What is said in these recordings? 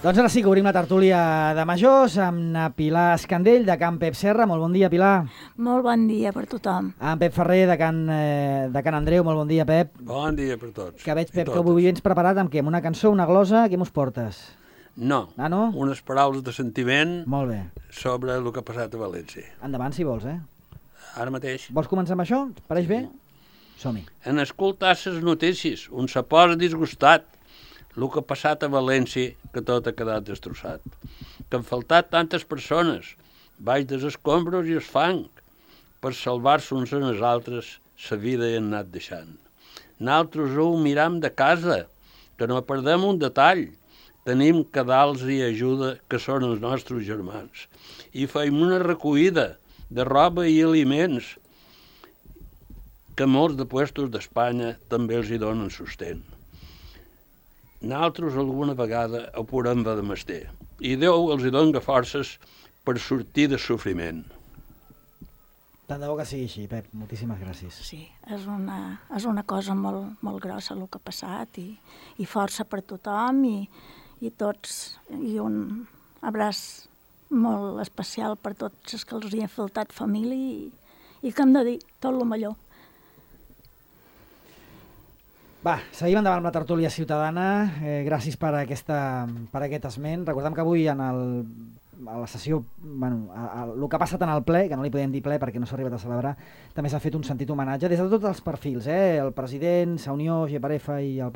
Doncs ara sí que obrim la tertúlia de majors amb na Pilar Escandell, de Can Pep Serra. Molt bon dia, Pilar. Molt bon dia per tothom. En Pep Ferrer, de Can Andreu. Molt bon dia, Pep. Bon dia per tots. Que veig, Pep, que avui vens preparat amb què? Amb una cançó, una glosa? Què mos portes? No, no? Unes paraules de sentiment. Molt bé. Sobre el que ha passat a València. Endavant, si vols, Ara mateix. Vols començar amb això? Et pareix bé? Som-hi. En escoltar les notícies, un se posa disgustat. El que ha passat a València, que tot ha quedat destrossat. Que han faltat tantes persones, baix dels escombros i el fang, per salvar-se uns en els altres, la vida hi han anat deixant. Nosaltres ho miram de casa, que no perdem un detall. Tenim cadals i ajuda, que són els nostres germans. I feim una recollida de roba i aliments, que molts de puestos d'Espanya també els hi donen sostén. Nosaltres alguna vegada ho podem haver de mestir, i Déu els hi dona forces per sortir del sofriment. Tant de bo que sigui així, Pep. Moltíssimes gràcies. Sí, és una cosa molt, molt grossa el que ha passat i força per tothom i tots, i un abraç molt especial per tots els que els hi ha faltat família i que hem de dir tot el millor. Va, seguim endavant amb la tertúlia ciutadana. Gràcies per aquest esment. Recordem que avui a la sessió, el que ha passat en el ple, que no li podem dir ple perquè no s'ha arribat a celebrar, també s'ha fet un sentit homenatge des de tots els perfils, el president, Sa Unió, GPRF i el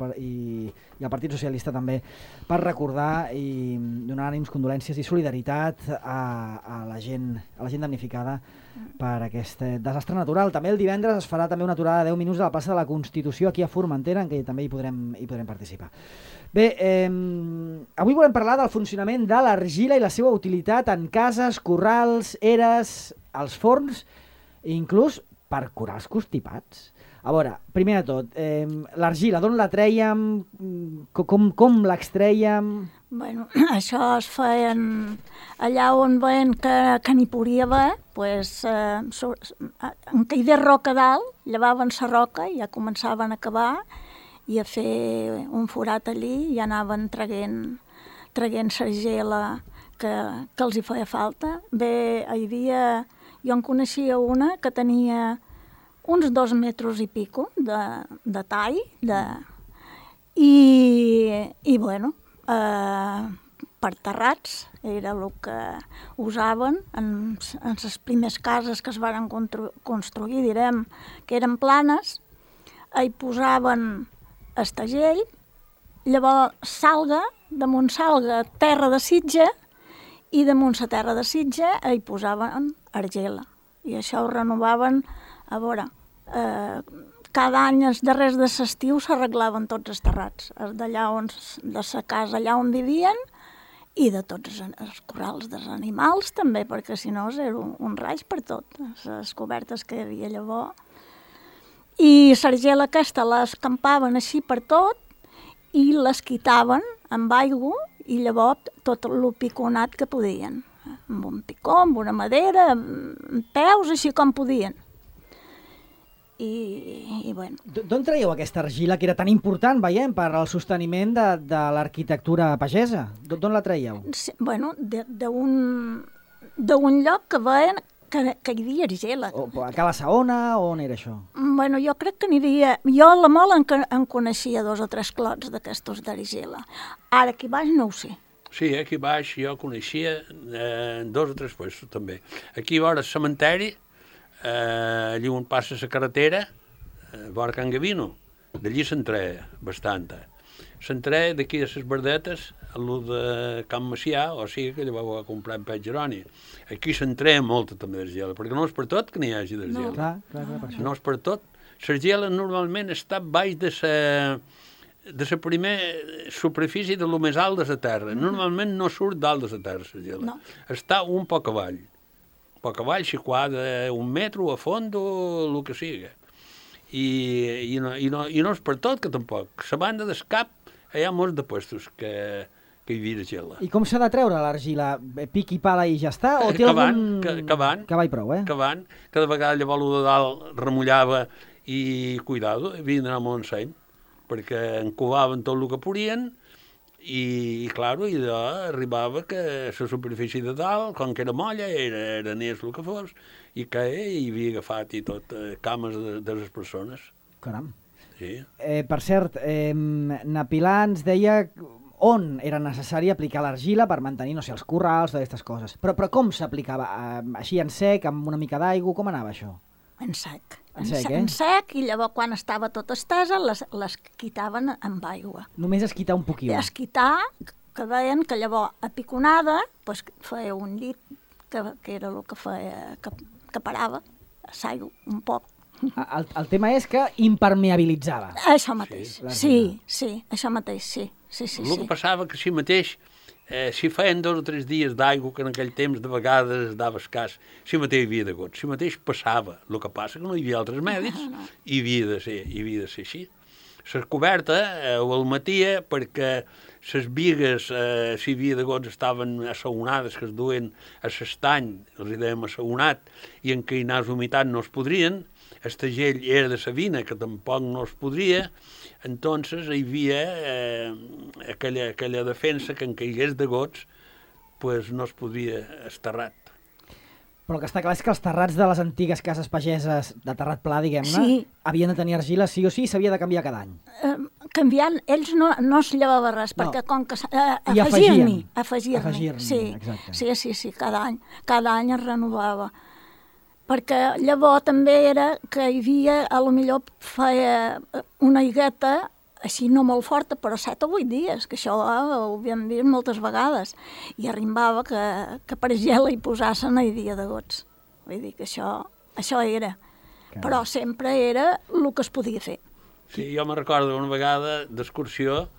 Partit Socialista també, per recordar i donar ànims, condolències i solidaritat a la gent damnificada per aquest desastre natural. També el divendres es farà també una aturada de 10 minuts a la plaça de la Constitució aquí a Formentera, en què també hi podrem participar. Bé, avui volem parlar del funcionament de l'argila i la seva utilitat en cases, corrals, eres, als forns i inclús per curar els constipats. A veure, primer de tot, l'argila, d'on la trèiem, com l'extrèiem? Bueno, això es feien allà on veien que n'hi podia haver, en caigués roca dalt, llevaven la roca i ja començaven a cavar i a fer un forat allí i anaven traguent l'argila que els hi feia falta. Bé, jo en coneixia una que tenia uns 2 metres i pico de tall i bueno, per terrats era el que usaven en les primeres cases que es van construir, direm, que eren planes, hi posaven estagell, llavors salga, damunt salga terra de sitge i damunt la terra de sitge hi posaven argila i això ho renovaven. A veure, cada any els darrers de l'estiu s'arreglaven tots els terrats, de la casa allà on vivien i de tots els corrals dels animals també, perquè si no era un raig per tot, les cobertes que hi havia llavors. I l'argila aquesta l'escampaven així per tot i les quitaven amb aigua i llavors tot el piconat que podien, amb un picó, amb una madera, amb peus, així com podien. I bueno. D'on traieu aquesta argila que era tan important, veiem, per al sosteniment de l'arquitectura pagesa? D'on la traieu? Sí, bueno, d'un lloc que veien que hi havia argila. A Cala Saona, on era això? Bueno, jo crec que n'hi havia... Jo a la Mola en coneixia 2 o 3 clots d'aquestos d'argila. Ara aquí baix no ho sé. Sí, aquí baix jo coneixia 2 o 3 puestos també. Aquí vora el cementeri, allí on passa la carretera, vora Can Gavino, d'allí se'n treia bastanta. Se'n treia d'aquí de les verdetes, a lo de Can Macià, o sigui que llavors va comprar en Pep Geroni. Aquí se'n treia molta també d'argila, perquè no és per tot que n'hi hagi d'argila. No, clar, per això. No és per tot. L'argila normalment està baix de la primera superfície de lo més alt de la terra. Normalment no surt dalt de la terra, l'argila. No. Està un poc avall. Un poc avall, situada un metre a fons o el que siga. I no és per tot que tampoc. A banda del cap hi ha molts de puestos que hi havia argila. I com s'ha de treure l'argila? Pic i pala i ja està? O té algun... Cavant. Cava i prou, Cavant. Cada vegada llavors el de dalt remullava i, cuidado, havien d'anar molt en seny, perquè encovaven tot el que podien, I claro, i allò arribava que la superfície de dalt, com que era molla, era neix el que fos, i que hi havia agafat i tot cames de les persones. Caram. Sí. Per cert, na Pilar ens deia on era necessari aplicar l'argila per mantenir, no sé, els corrals, totes aquestes coses. Però com s'aplicava? Així en sec, amb una mica d'aigua? Com anava això? En sec. En En sec, i llavors quan estava tot estesa les quitaven amb aigua. Només es quitar un poquil. Es quitar, que deien que llavors a piconada pues, feia un llit, que era el que feia, que parava l'aigua un poc. El tema és que impermeabilitzava. Això mateix, sí, això mateix, sí. El que passava que si mateix, si feien 2 o 3 dies d'aigua, que en aquell temps de vegades dava escàs, si mateix hi havia de gots, si mateix passava. El que passa que no hi havia altres mèdics i havia de ser així. La coberta ho almatia perquè les bigues, si hi havia de gots, estaven assaonades, que es duen a l'estany, els hi dèiem assaonat, i en què hi anés humitat no es podrien. El tegell era de savina, que tampoc no es podria, entonces hi havia aquella defensa que en caigués de gots pues no es podia esterrat. Però el que està clar és que els terrats de les antigues cases pageses de terrat pla, diguem-ne, havien de tenir argila sí o sí, s'havia de canviar cada any. Canviant, ells no es llevava res, perquè com que afegir-n'hi, sí, cada any es renovava. Perquè llavors també era que hi havia, a lo millor feia una higueta, així no molt forta, però 7 o 8 dies, que això ho havíem vist moltes vegades, i arribava que per gel hi posassen i dia de gots. Vull dir que això era. Però sempre era el que es podia fer. Sí, jo me recordo una vegada d'excursió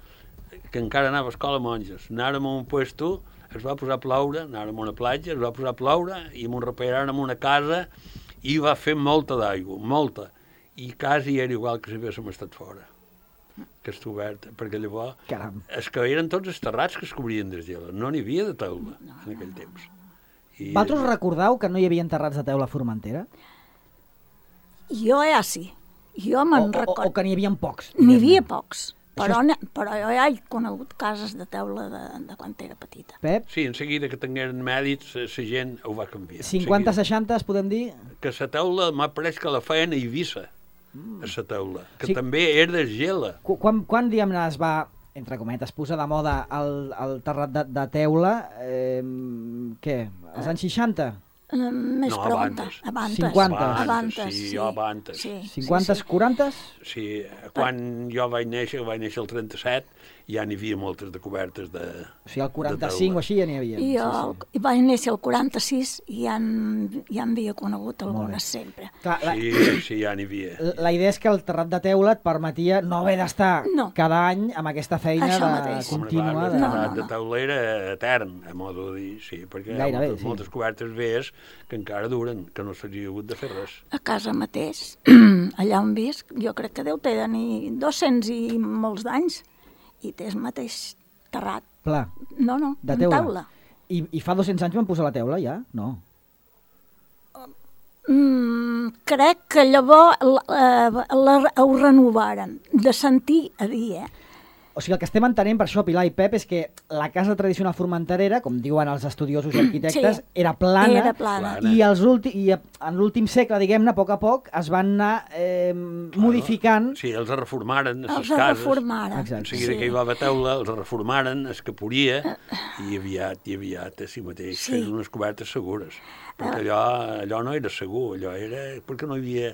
que encara anava a escola monges. Anàrem a un puesto, es va posar a ploure, anàrem a una platja, es va posar a ploure i m'ho repararen en una casa i va fer molta d'aigua, molta. I quasi era igual que si haguéssim estat fora, que està oberta, perquè llavors és que eren tots els terrats que es cobrien de gel, no n'hi havia de teula en aquell temps. Vosaltres recordeu que no hi havia terrats de teula a Formentera? Jo sí. Jo me'n recordo. O que n'hi havia pocs? N'hi havia pocs. Però jo ja he conegut cases de teula de quan era petita. Pep? Sí, en seguida que tingueren mèdits, la gent ho va canviar. 50-60, es podem dir? Que la teula m'ha pareix que la feien a Eivissa, a la teula, que també era de gela. Quan diguem-ne, es va, entre cometes, posar de moda el terrat de teula, què? Als anys 60? Més pronta. Abans. 50s, 40s? Sí, quan jo vaig néixer el 37, ja n'hi havia moltes de cobertes de O sigui, el 45 o així ja n'hi havia. Jo vaig néixer el 46 i ja en havia conegut algunes sempre. Sí, ja n'hi havia. La idea és que el terrat de teula et permetia no haver d'estar cada any amb aquesta feina contínua. El terrat de teula era etern, a modo de dir, sí, perquè hi ha moltes cobertes veies que encara duren, que no s'hauria hagut de fer res. A casa mateix, allà on visc, jo crec que deu tenir 200 i molts d'anys, i té el mateix terrat. Pla? No, de teula. I fa 200 anys van posar la teula, ja? No. Crec que llavors ho renovaren, de sentir a dir, O sigui, el que estem entenent per això, Pilar i Pep, és que la casa tradicional formenterera, com diuen els estudiosos i arquitectes, era plana. I en l'últim segle, diguem-ne, a poc es van anar modificant. Sí, els reformaren a les cases. En seguida que hi va haver teula, els reformaren, es caporia, i aviat, així mateix, fent unes cobertes segures. Perquè allò no era segur, allò era perquè no hi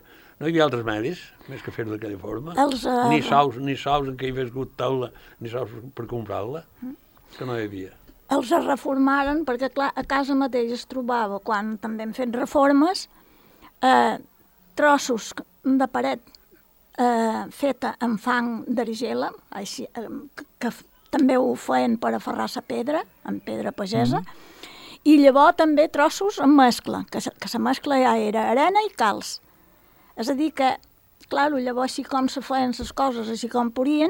havia altres medis, més que fer-ho d'aquella forma. Ni sous en què hi hagués hagut taula, ni sous per comprar-la, que no hi havia. Els reformaren perquè, clar, a casa mateix es trobava, quan també hem fet reformes, trossos de paret feta amb fang d'argila, que també ho feien per aferrar la pedra, amb pedra pagesa, i llavors també trossos amb mescla, que la mescla ja era arena i calç. És a dir que, clar, llavors així com se feien les coses, així com podien,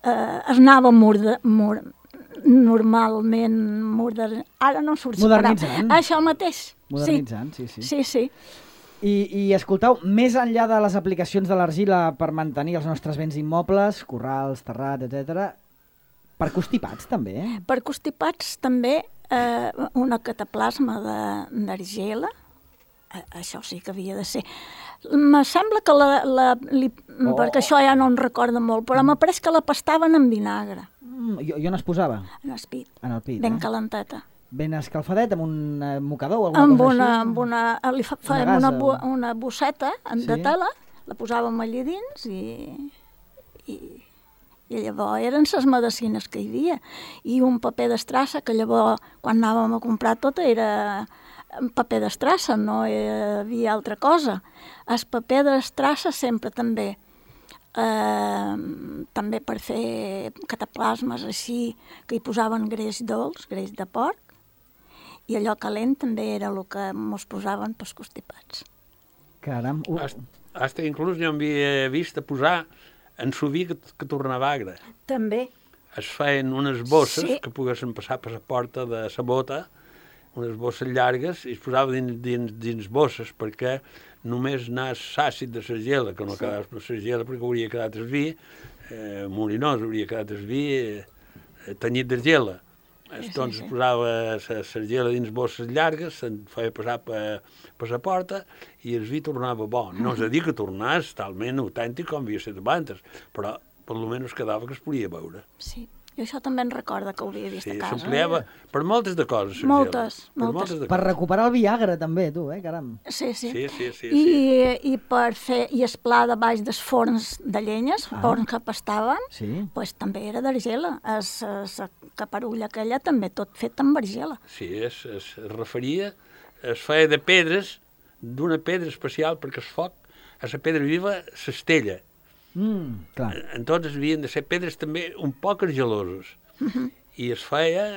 es anava normalment ara no surt la paraula. Això mateix. Modernitzant, sí. Sí. I escolteu, més enllà de les aplicacions de l'argila per mantenir els nostres béns immobles, corrals, terrats, etc., Per constipats, també? Per constipats, també, una cataplasma d'argila, això sí que havia de ser. Me sembla que perquè això ja no en recorda molt, però m'ha pareix que la pastaven amb vinagre. I on es posava? En el pit. En el pit, ben calenteta. Ben escalfadet, amb un mocador o alguna cosa així? Li fèiem una bosseta de tela, la posàvem allà dins i llavors eren les medicines que hi havia. I un paper d'estrassa, que llavors, quan anàvem a comprar tot, era paper d'estrassa, no hi havia altra cosa. El paper d'estrassa sempre també, també per fer cataplasmes així, que hi posaven greix dolç, greix de porc, i allò calent també era el que mos posaven pels constipats. Caram. Hasta inclús jo havia vist a posar en suvi que tornava agre. També. Es feien unes bosses que poguessin passar per la porta de la bota, unes bosses llargues, i es posava dins bosses, perquè només anàs l'àcid de la gela, que no quedaves per la gela, perquè hauria quedat el vi, molinós, hauria quedat el vi tenyit de gela. Doncs es posava la gela dins bosses llargues, se'n feia passar per la porta i el vi tornava bo. No és a dir que tornés talment autèntic com havia estat abans, però per almenys quedava que es podia veure. Sí, jo això també en recorda que ho havia vist a casa. S'empleava per moltes de coses. Moltes. Per recuperar el Viagra també, tu, caram. Sí. I per fer, i el pla de baix dels forns de llenyes, forns que pastaven, pues, també era d'argila. La caparulla aquella també tot fet amb argila. Sí, es referia, es feia de pedres, d'una pedra especial, perquè el foc, a la pedra viva, s'estella. Clar. Entonces havien de ser pedres també un poc argilosos. I es feia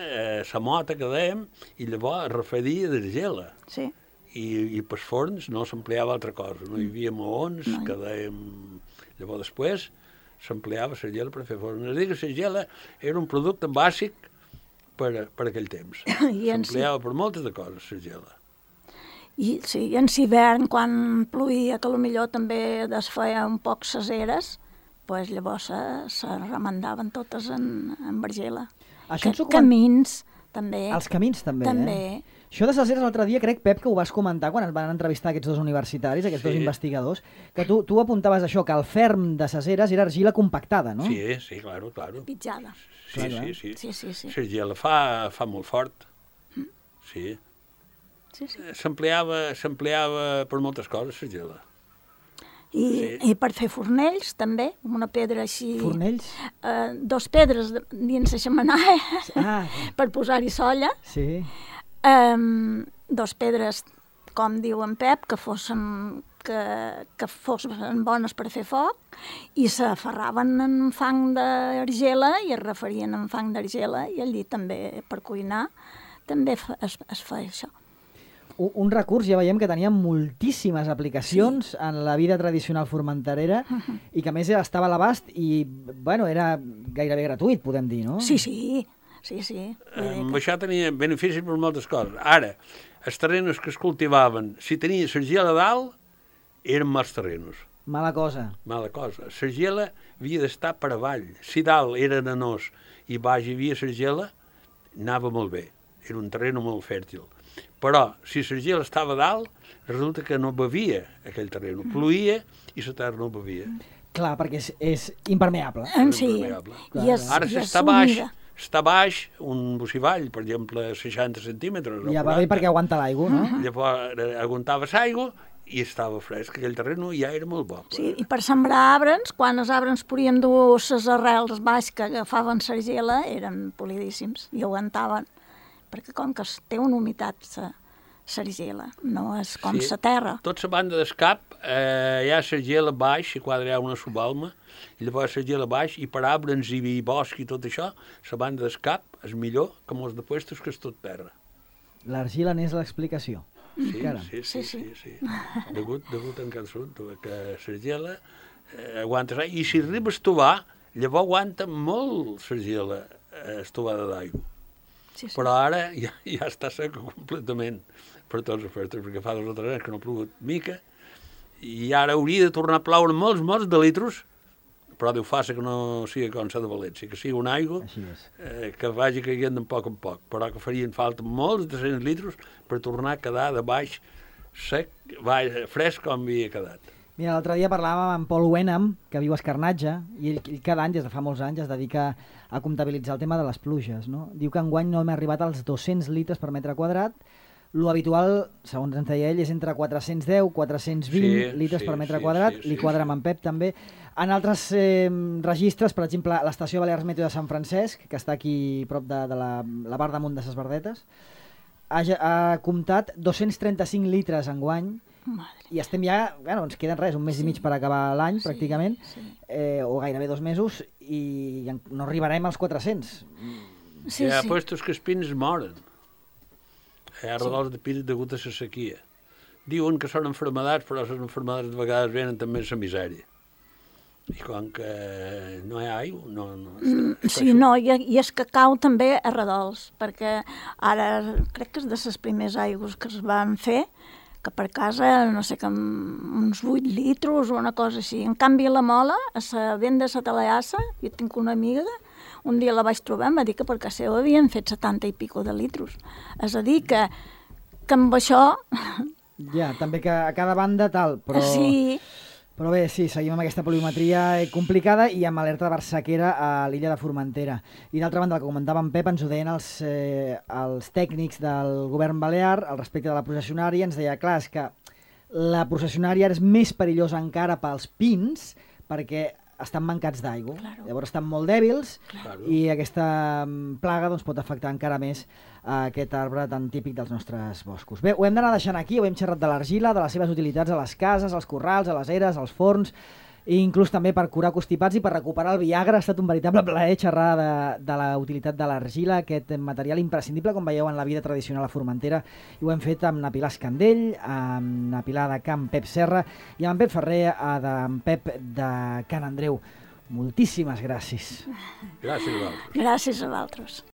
la mota que dèiem, i llavors es refedia d'argila. Sí. I pels forns no s'empleava altra cosa. No hi havia maons, que dèiem... Llavors després s'empleava la gela per fer forns. És a dir, que la gela era un producte bàsic per aquell temps. S'empleava per moltes de coses, la gela. I sí, en l'hivern, quan plovia, que potser també es feia un poc ses eres, pues llavors se remendaven totes en argila. Camins, també. Els camins, també. Això de ses eres l'altre dia, crec, Pep, que ho vas comentar quan es van entrevistar aquests dos universitaris, aquests dos investigadors, que tu apuntaves això, que el ferm de ses eres era argila compactada, no? Sí, claro. Pitjada. Sí. La gela fa molt fort. Sí. S'empleava per moltes coses, la gela. I per fer fornells, també, amb una pedra així... Fornells? 2 pedres dins la xemenaia per posar-hi solla. Sí. 2 pedres, com diu en Pep, que fossin bones per fer foc, i s'aferraven en fang d'argila i es referien en fang d'argila, i allí també, per cuinar, també es feia això. Un recurs, ja veiem que tenia moltíssimes aplicacions en la vida tradicional formenterera i que a més estava a l'abast i, bueno, era gairebé gratuït, podem dir, no? Sí. Això tenia beneficis per moltes coses. Ara, els terrenos que es cultivaven, si tenia l'argila a dalt, eren mals terrenos. Mala cosa. L'argila havia d'estar per avall. Si dalt era arenós i baix hi havia l'argila, anava molt bé. Era un terreno molt fèrtil. Però, si l'argila estava a dalt, resulta que no bevia aquell terreno. Pluïa i la terra no bevia. Clar, perquè és impermeable. Sí. Ara, si està baix, un bocivall, per exemple, 60 centímetres. Ja va bé perquè aguanta l'aigua, no? Llavors aguantava l'aigua i estava fresc. Aquell terreno ja era molt bo. Sí, i per sembrar arbres, quan els arbres podien dur les arrels baix que agafaven l'argila, eren polidíssims i aguantaven. Perquè com que té una humitat l'argila, no és com la terra. Tot la banda d'escap hi ha l'argila baix, i quadre hi ha una subalma, i llavors l'argila baix, i per arbres i bosc i tot això, la banda d'escap és millor que molts de puestos que és tot terra. L'argila n'és l'explicació. Sí. Degut en aquest assumpte, que l'argila aguanta l'aigua, i si arribes a tovar, llavors aguanta molt l'argila estovada d'aigua. Però ara ja està seca completament per tots els efectes, perquè fa 2 o 3 anys que no ha plogut mica, i ara hauria de tornar a ploure molts de litros però Déu faci que no sigui com la de València, que sigui una aigua que vagi caient de poc en poc, però que farien falta molts de 100 litres per tornar a quedar de baix sec, fresc com havia quedat. Mira, l'altre dia parlàvem amb Paul Wenham, que viu a Escarnatge, i ell cada any, des de fa molts anys, es dedica a comptabilitzar el tema de les pluges, no? Diu que enguany no hem arribat als 200 litres per metre quadrat. Lo habitual, segons ens deia ell, és entre 410 420 litres per metre quadrat. Li quadra amb en Pep, també. En altres registres, per exemple, l'estació Balears Meteo de Sant Francesc, que està aquí prop de la Bar damunt de ses Verdetes, ha comptat 235 litres enguany. I estem ja, bueno, ens queden res, un mes i mig per acabar l'any, pràcticament, o gairebé 2 mesos, i no arribarem als 400. Hi ha puestos que els pins moren. Hi ha redols de pins degut a la sequia. Diuen que són enfermedats, però les enfermedats de vegades venen també a la misèria. I com que no hi ha aigua, no... Sí, no, i és que cau també a redols, perquè ara crec que és de les primers aigües que es van fer, que per casa, no sé, que uns 8 litres o una cosa així. En canvi, la Mola, a la vent de la Talaassa, jo tinc una amiga, un dia la vaig trobar, em va dir que per casa seva havien fet 70 i pico de litros. És a dir, que amb això... Ja, també que a cada banda tal, però... Sí. Però bé, sí, seguim amb aquesta pluviometria complicada i amb alerta de barsaquera a l'illa de Formentera. I d'altra banda, el que comentava en Pep, ens ho deien els tècnics del govern balear al respecte de la processionària. Ens deia, clar, és que la processionària és més perillosa encara pels pins perquè estan mancats d'aigua. Claro. Llavors estan molt dèbils i aquesta plaga doncs, pot afectar encara més aquest arbre tan típic dels nostres boscos. Bé, ho hem d'anar deixant aquí, ho hem xerrat de l'argila, de les seves utilitats a les cases, als corrals, a les eres, als forns, i inclús també per curar constipats i per recuperar el Viagra. Ha estat un veritable plaer xerrar de la utilitat de l'argila, aquest material imprescindible, com veieu, en la vida tradicional a Formentera. I ho hem fet amb na Pilar Escandell, amb na Pilar de Can Pep Serra i amb en Pep Ferrer, d'en Pep de Can Andreu. Moltíssimes gràcies. Gràcies a vosaltres. Gràcies a vosaltres.